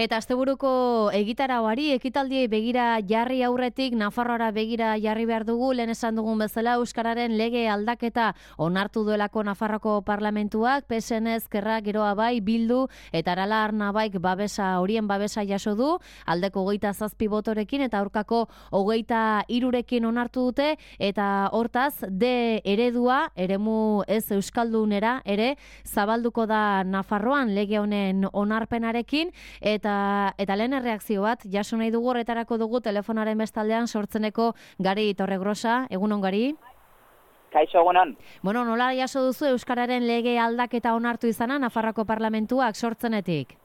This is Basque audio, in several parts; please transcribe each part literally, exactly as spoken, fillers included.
Eta asteburuko egitarauari, ekitaldiei begira jarri aurretik, Nafarroara begira jarri behar dugu, lehen esan dugun bezala, euskararen lege aldaketa onartu duelako Nafarroko parlamentuak, P S N Ezkerra, Geroa bai, Bildu eta Arala Arnabaik babesa, horien babesa jaso du, aldeko hogeita zazpi botorekin eta aurkako hogeita hirurekin onartu dute, eta hortaz, D eredua, eremu ez euskaldunera ere, zabalduko da Nafarroan lege honen onarpenarekin, eta Eta lehen erreakzio bat, jaso nahi dugu horretarako dugu telefonaren bestaldean sortzeneko Gari Torregrosa. Egunon, Gari? Kaixo, egunon. Bueno, nola jaso duzu euskararen lege aldaketa onartu izana Nafarroko parlamentuak sortzenetik?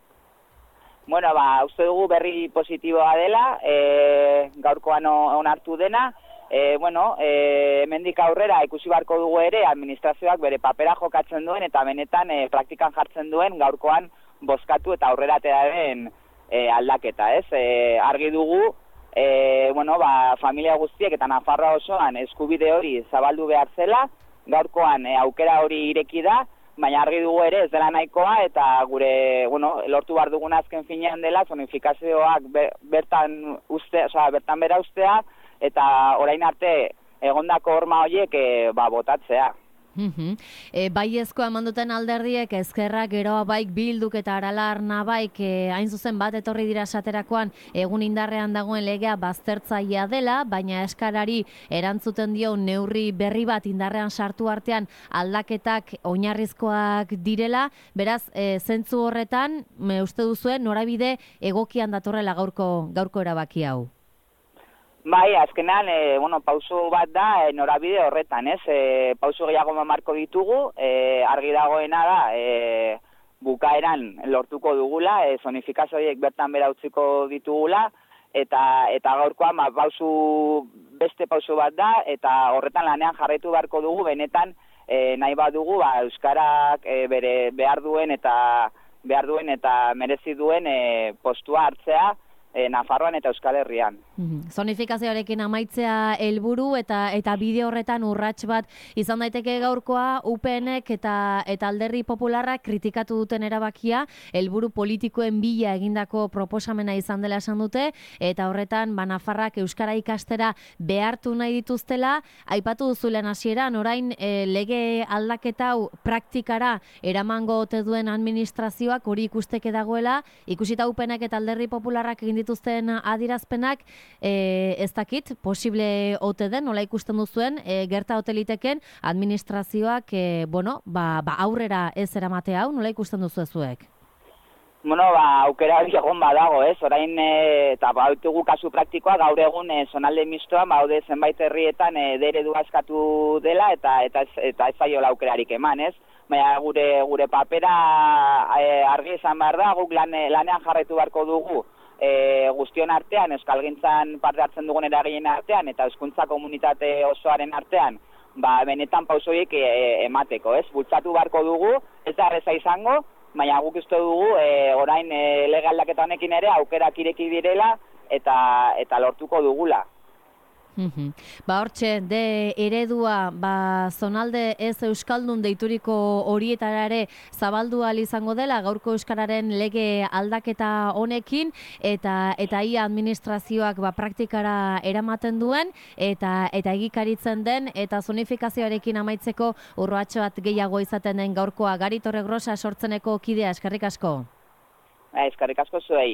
Bueno, ba, uste dugu berri positiboa dela, e, gaurkoan onartu dena. E, bueno, e, hemendik aurrera ikusi beharko dugu ere administrazioak bere papera jokatzen duen eta benetan e, praktikan jartzen duen gaurkoan bozkatu eta aurrera den e, aldaketa, ez? E, argi dugu, e, bueno, ba, familia guztiek eta Nafarroa osoan eskubide hori zabaldu behar zela, gaurkoan e, aukera hori ireki da, baina argi dugu ere ez dela nahikoa eta gure, bueno, lortu behar dugun azken finean dela zonifikazioak bertan uste, osea, bertan bera ustea eta orain arte egondako horma horiek e, ba, botatzea. Uh-huh. E, baiezko emanduten alderdiek Ezkerra, Geroa baik, Bilduk eta Arala Arnabaik e, hain zuzen bat etorri dira esaterakoan egun indarrean dagoen legea baztertzailea dela, baina eskarari erantzuten dio neurri berri bat indarrean sartu artean aldaketak oinarrizkoak direla, beraz e, zentzu horretan me uste duzuen norabide egokian datorrela gaurko gaurko erabaki hau. Bai, azkenean, e, bueno, pauso bat da e, norabide horretan, ez? E, pauso gehiago marko ditugu, e, argi dagoena da, e, bukaeran lortuko dugula, e, zonifikazio horiek bertan bera utziko ditugula, eta eta gaurkoan ba, pauso, beste pauso bat da, eta horretan lanean jarraitu beharko dugu, benetan e, nahi bat dugu, ba, euskarak e, bere behar duen eta behar duen eta merezi duen e, postua hartzea, E, Nafarroan eta Euskal Herrian. Mm-hmm. Zonifikazioarekin amaitzea helburu eta eta bide horretan urrats bat izan daiteke gaurkoa U PNek eta eta Alderdi Popularrak kritikatu duten erabakia helburu politikoen bila egindako proposamena izan dela esan dute eta horretan ba Nafarrak euskara ikastera behartu nahi dituztela, aipatu duzulen hasieran orain e, lege aldaketa hau praktikara eramango ote duen administrazioak hori ikusteke dagoela, ikusita U P Nek eta Alderdi Popularrak egin dituzten adirazpenak, e, ez dakit, posible ote den, nola ikusten duzuen, e, gerta hoteliteken administrazioak, e, bueno, ba, ba aurrera ez eramate hau, nola ikusten duzuezuek? Bueno, ba, aukera hori egon badago, ez, orain, e, eta baitugu kasu praktikoa, gaur egun e, zonalde mistoan, baude zenbait herrietan e, deredu askatu dela, eta eta ez, eta ez zaiola aukerarik eman, ez? Baina gure, gure papera e, argi izan behar da, guk lan, lanean jarraitu beharko dugu, E, guztion artean, euskalgintzan parte hartzen dugun eraginen artean eta hezkuntza komunitate osoaren artean, ba, benetan pausoiek e, emateko, ez? Bultzatu beharko dugu, ez da erreza izango, baina guk uste dugu e, orain e, lege aldaketa honekin ere aukerak ireki direla eta eta lortuko dugula. Mm-hmm. Ba hortxe, de eredua ba, zonalde ez euskaldun deituriko horietara ere zabaldu ahal izango dela gaurko euskararen lege aldaketa honekin eta eta ia administrazioak ba, praktikara eramaten duen eta eta egikaritzen den eta zonifikazioarekin amaitzeko urratxo bat gehiago izaten den gaurkoa. Gari Torregrosa sortzeneko kidea, eskerrik asko. Eskerrik asko zuei.